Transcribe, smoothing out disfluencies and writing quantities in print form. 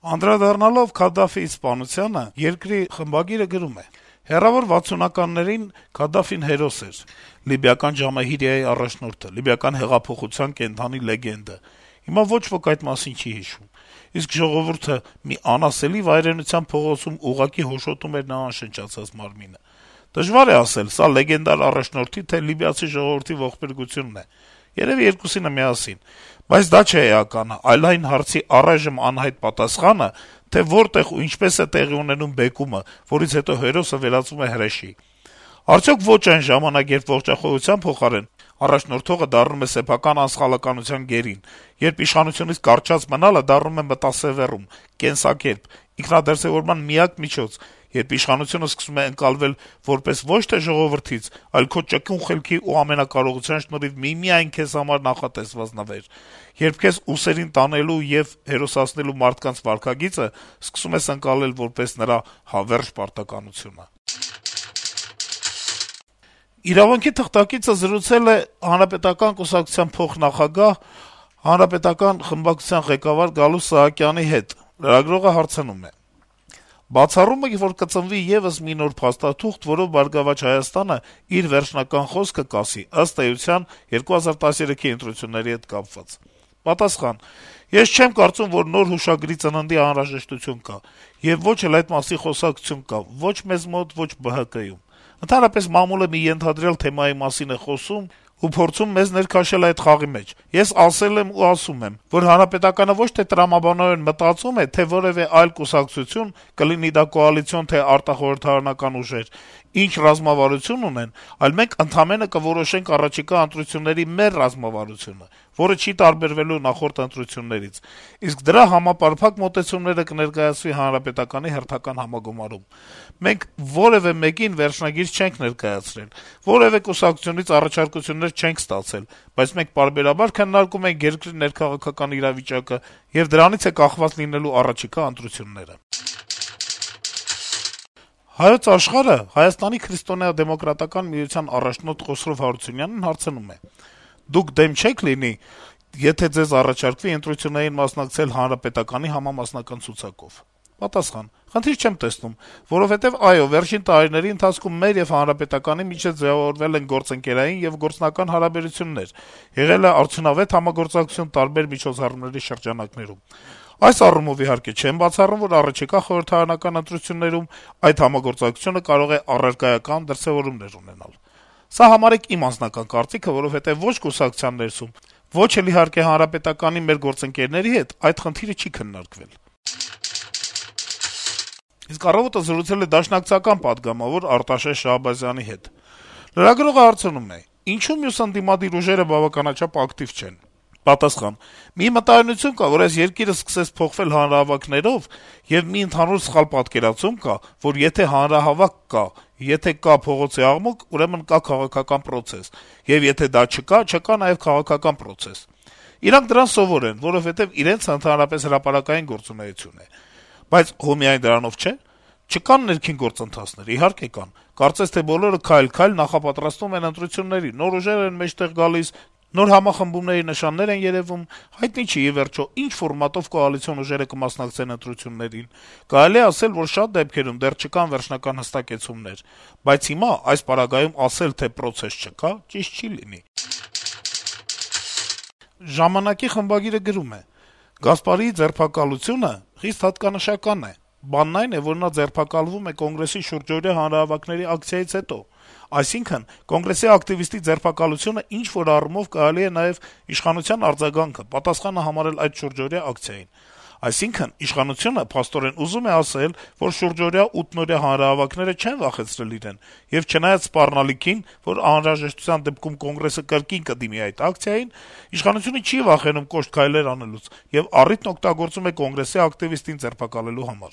Անդրադառնալով Քադաֆիի սպանությանը, «Երկիր» խմբագիրը գրում է. - «Հեռավոր 60-ականներին Քադաֆին հերոս էր, լիբիական Ջամահիրիայի առաջնորդը, լիբիական հեղափոխության կենդանի լեգենդը: Հիմա ոչ ոք այդ մասին չի հիշում: Իսկ ժողովուրդը մի անասելի վայրենության փողոցում ուղղակի հոշոտում էր նրա անշնչացած մարմինը: Դժվար է ասել՝ սա լեգենդար առաջնորդի, թե լիբիացի ժողովրդի ողբերգությունն է: Երեւի երկուսինը միասին: Բայց դա չէ էականը, այլ այն հարցի առայժմ անհայտ պատասխանը, թե որտեղ ու ինչպես է տեղի ունենում բեկումը, որից հետո հերոսը վերածվում է հրեշի: Արդյոք ոչ այն ժամանակ, երբ ողջախոհության փոխարեն առաջնորդողը դառնում է սեփական անսխալականության գերին, երբ իշխանությունից կառչած մնալը դառնում է մտասեւեռում, կենսակերպ, ինքնադրսեւորման միակ միջոց, երբ իշխանությունը սկսում է ընկալվել որպես ոչ թե ժողովրդից, այլ քո ճկուն խելքի ու ամենակարողության շնորհիվ միմիայն քեզ համար նախատեսված նվեր, երբ քեզ ուսերին տանելու եւ հերոսացնելու մարդկանց վարքագիծը սկսում ես ընկալել որպես նրա հավերժ պարտականությունը»: «Իրավունք»-ի թղթակիցը զրուցել է Հանրապետական կուսակցության փոխնախագահ, Հանրապետական խմբակցության ղեկավար Գալուստ Սահակյանի հետ: Լրագրողը հարցնում է. - «Բացառում եք, որ կծնվի եւս մի նոր փաստաթուղթ, որով «Բարգավաճ Հայաստանը» իր վերջնական խոսքը կասի, ըստ էության, 2013-ի ընտրությունների հետ կապված»: Պատասխան. - «Ես չեմ կարծում, որ նոր հուշագրի ծննդի անհրաժեշտություն կա, եւ ոչ էլ այդ մասին խոսակցություն կա ոչ մեզ մոտ, ոչ ԲՀԿ-ում: Ընդհանրապես մամուլը մի ենթադրյալ թեմայի մասին է խոսում ու փորձում մեզ ներքաշել այդ խաղի մեջ: Ես ասել եմ ու ասում եմ, որ Հանրապետականը ոչ թե տրամաբանորեն մտածում է, թե որեւէ այլ կուսակցություն, կլինի դա կոալիցիոն, թե արտախորհրդարանական ուժեր, ինչ ռազմավարություն ունեն, այլ մենք ընդամենը կորոշենք առաջիկա ընտրությունների մեր ռազմավարությունը, որը չի տարբերվելու նախորդ ընտրություններից, իսկ դրա համապարփակ մոտեցումները կներկայացվի Հանրապետականի հերթական համագումարում: Մենք որեւէ մեկին վերջնագիր չենք ներկայացրել, որեւէ կուսակցությունից առաջարկություններ չենք ստացել, բայց մենք պարբերաբար քննարկում ենք երկրի ներքաղաքական իրավիճակը եւ դրանից է կախված լինելու առաջիկա ընտրությունները»: «Հայոց Աշխարհ»-ը Հայաստանի քրիստոնեա-դեմոկրատական միության առաջնորդ Խոսրով Հարությունյանին հարցնում է. - «Դուք դեմ չե՞ք լինի, եթե ձեզ առաջարկվի ընտրություններին մասնակցել Հանրապետականի համամասնական ցուցակով»: Պատասխան. - «Խնդիր չեմ տեսնում, որովհետեւ, այո, վերջին տարիների ընթացքում մեր եւ Հանրապետականի միջեւ ձեւավորվել են գործընկերային եւ գործնական հարաբերություններ, եղել է արդյունավետ համագործակցություն տարբեր միջոցառումների շրջանակներում: Այս առումով, իհարկե, չեմ բացառում, որ առաջիկա խորհրդարանական ընտրություններում այդ համագործակցությունը կարող է առարկայական դրսեւորումներ ունենալ: Սա համարեք իմ անձնական կարծիքը, որովհետեւ ոչ կուսակցության ներսում, ոչ էլ, իհարկե, Հանրապետականի մեր գործընկերների հետ այդ խնդիրը չի քննարկվել»: «Առավոտ»-ը զրուցել է դաշնակցական պատգամավոր Արտաշես Շահբազյանի հետ: Լրագրողը հարցնում է. - «Ինչո՞ւ մյուս ընդդիմադիր ուժերը բավականաչափ ակտիվ չեն»: Պատասխան. - «Մի մտայնություն կա, որ այս երկիրը սկսեց փոխվել հանրահավաքներով, եւ մի ընդհանուր սխալ պատկերացում կա, որ եթե հանրահավաք կա, եթե կա փողոցի աղմուկ, ուրեմն կա քաղաքական պրոցես, եւ եթե դա չկա, չկա նաեւ քաղաքական պրոցես: Իրանք դրան սովոր են, որովհետեւ իրենց ընդհանրապես հրապարակային գործունեություն է: Բայց հո միայն դրանով չէ: Չկա՞ն ներքին գործընթացներ: Իհարկե կան: Կարծես թե բոլորը քայլ-քայլ նախապատրաստվում են ընտրությունների, նոր ուժեր են մեջտեղ գալիս, նոր համախմբումների նշաններ են երեւում: Հայտնի չի, ի վերջո, ինչ ֆորմատով կոալիցիոն ուժերը կմասնակցեն ընտրություններին: Կարելի է ասել, որ շատ դեպքերում դեռ չկան վերջնական հստակեցումներ: Բայց հիմա այս պարագայում ասել, թե պրոցես չկա, ճիշտ չի լինի»: «Ժամանակ»-ի խմբագիրը գրում է. - «Գասպարիի ձերբակալությունը խիստ հատկանշական է: Բանն այն է, որ նա ձերբակալվում է Կոնգրեսի շուրջօրյա հանրահավաքների ակցիայից հետո: Այսինքն` Կոնգրեսի ակտիվիստի ձերբակալությունը ինչ-որ առումով կարելի է նաեւ իշխանության արձագանքը, պատասխանը համարել այդ շուրջօրյա ակցիային: Այսինքն` իշխանությունը փաստորեն ուզում է ասել, որ շուրջօրյա 8-օրյա հանրահավաքները չեն վախեցրել իրեն, եւ չնայած սպառնալիքին, որ անհրաժեշտության դեպքում Կոնգրեսը կրկին կդիմի այդ ակցիային, իշխանությունը չի վախենում կոշտ քայլեր անելուց եւ առիթն օգտագործում է Կոնգրեսի ակտիվիստին ձերբակալելու համար»: